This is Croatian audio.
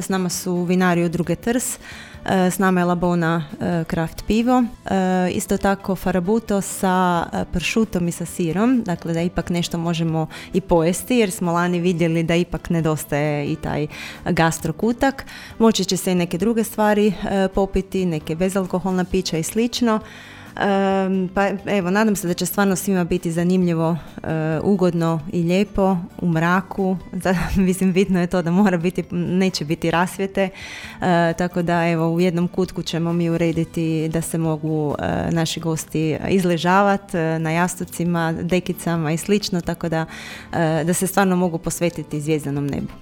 S nama su vinari Udruge Trs, s nama je Labona Craft pivo, isto tako Farabuto sa pršutom i sa sirom, dakle da ipak nešto možemo i pojesti jer smo lani vidjeli da ipak nedostaje i taj gastro kutak. Moći će se i neke druge stvari popiti, neke bezalkoholna pića i slično. Pa evo, nadam se da će stvarno svima biti zanimljivo, ugodno i lijepo u mraku. Mislim, bitno je to da neće biti rasvjete, tako da evo u jednom kutku ćemo mi urediti da se mogu naši gosti izležavati na jastucima, dekicama i slično, tako da se stvarno mogu posvetiti zvjezdanom nebu.